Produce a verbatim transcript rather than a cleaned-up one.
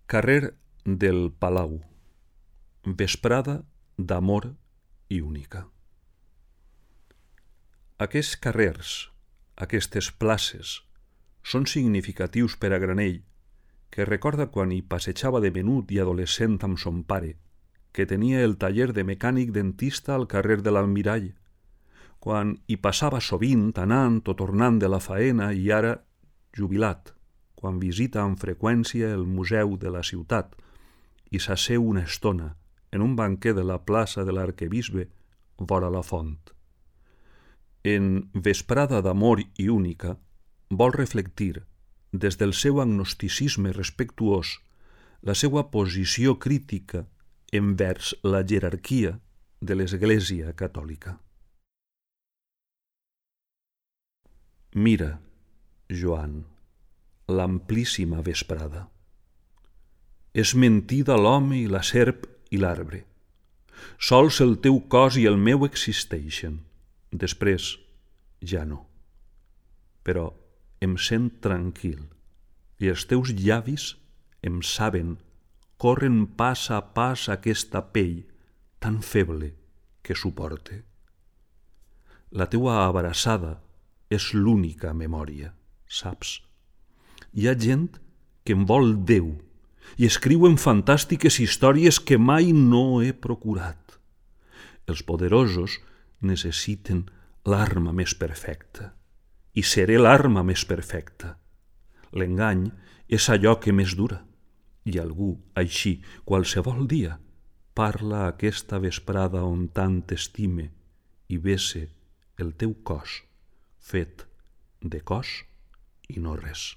Carrer del Palau, vesprada d'amor i única. Aquests carrers, aquestes places, són significatius per a Granell, que recorda quan hi passejava de menut i adolescent amb son pare, que tenia el taller de mecànic dentista al carrer de l'Almirall, quan hi passava sovint anant o tornant de la faena i ara jubilat, quan visita amb freqüència el museu de la ciutat i s'asseu una estona en un banquer de la plaça de l'Arquebisbe vora la font. En Vesprada d'amor i única vol reflectir, des del seu agnosticisme respectuós, la seva posició crítica envers la jerarquia de l'Església catòlica. Mira, Joan, l'amplíssima vesprada. És mentida l'home i la serp i l'arbre. Sols el teu cos i el meu existeixen. Després, ja no. Però em sent tranquil i els teus llavis em saben, corren pas a pas aquesta pell tan feble que suporte. La teua abraçada és l'única memòria, saps? Hi ha gent que em vol Déu i escriuen fantàstiques històries que mai no he procurat. Els poderosos necessiten l'arma més perfecta i seré l'arma més perfecta. L'engany és allò que més dura i algú, així, qualsevol dia, parla aquesta vesprada on tant t'estime i bese el teu cos fet de cos i no res.